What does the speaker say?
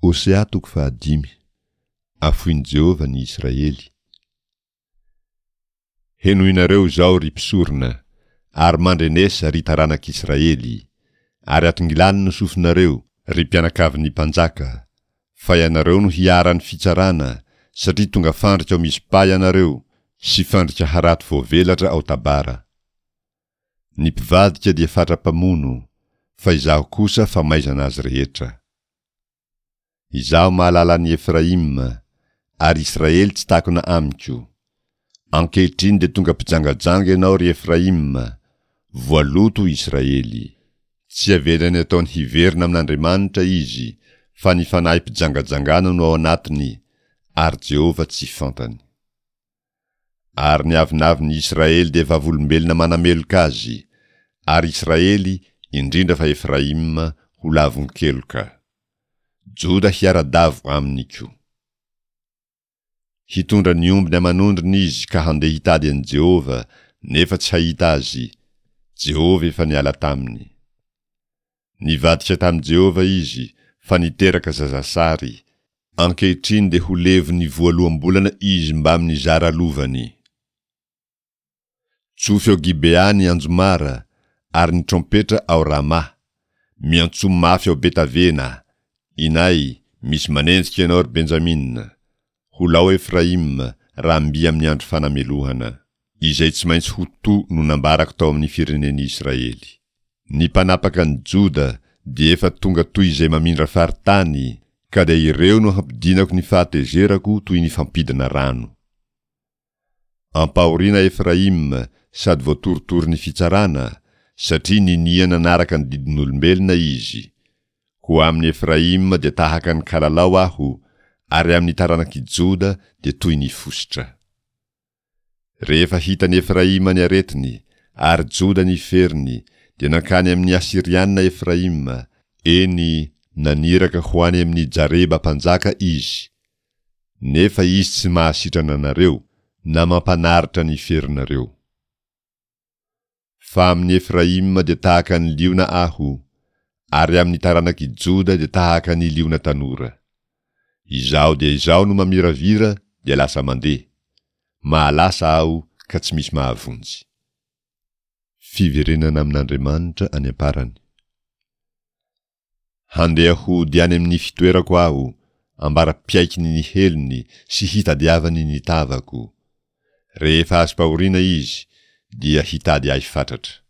Hosea toko fahadimy. Afoin'i Jehovah ny Israely. Henoinareo izao, ry mpisorona, ary mandrenesa, ry taranak'Israely, ary atongilano ny sofinareo, ry mpianakavin'ny mpanjaka, fa ianareo no hiharan'ny fitsarana, satria tonga fandrika ao Mizpa ianareo, sy fandrika harato voavelatra ao Tabara. Ny mpivadika dia fatra-pamono, fa Izaho kosa famaizana azy rehetra. Izaho mahalala an'i Efraima, ary Israely tsy takona amiko. Ankehitriny dia tonga mpijangajanga ianao, ry Efraima, voaloto Israely. Tsy avelany ataony hiverina amin'Andriamanitra izy, fa ny fanahy mpijangajangana no ao anatiny, ary Jehovah tsy fantany. Ary ny avonavon'i Israely dia vavolombelona manameloka azy, ary Israely, indrindra fa Efraima, ho lavon-keloka. Joda hiara-davo aminy koa. Hitondra ny ombiny aman'ondriny izy ka handeha hitady an'i Jehovah, nefa tsy hahita azy, Jehovah efa niala taminy. Nivadika tamin'i Jehovah izy, fa niteraka zazasary. Ankehitriny dia ho levon'ny voaloham-bolana izy mbamin'ny zara lovany. Tsofy ao Gibea ny anjomara, ary ny trompetra ao Rama. Miantsoa mafy ao Betavena, Inay, misy manenjika ianao, ry Benjamina. Ho lao Efraima, raha mby amin'ny andro fanamelohana. Izay tsy maintsy ho to no nambarako tao amin'ny firenen'i Israely. Ny mpanapaka an'i Joda dia efa tonga toy izay mamindra faritany, ka dia ireo no hampidinako ny fahatezerako toy ny fampidina rano. Ampahoriana Efraima sady voatorotoro ny fitsarana, satria ninia nanaraka ny didin'olombelona izy. Koa amin'i Efraima dia tahaka ny kalalao Aho, ary amin'ny taranak'i Joda dia toy ny fositra. Rehefa hitan'i Efraima ny aretiny, ary Joda ny feriny, dia nankany amin'ny Asyriana Efraima, eny, naniraka ho any amin'i Jareba mpanjaka izy, Nefa izy tsy mahasitrana anareo, na mampanaritra ny ferinareo. Fa amin'i Efraima dia tahaka ny liona Aho, ary amin'ny taranak'i Joda dia tahaka ny liona tanora. Izaho dia Izaho no mamiravira dia lasa mandeha, mahalasa Aho ka tsy misy mahavonjy. Fiverenana amin'Andriamanitra any am-parany. Handeha hody any amin'ny fitoerako aho, ambara-piaikiny ny helony sy hitadiavany ny tavako. Rehefa azom-pahoriana izy, dia hitady ahy fatratra.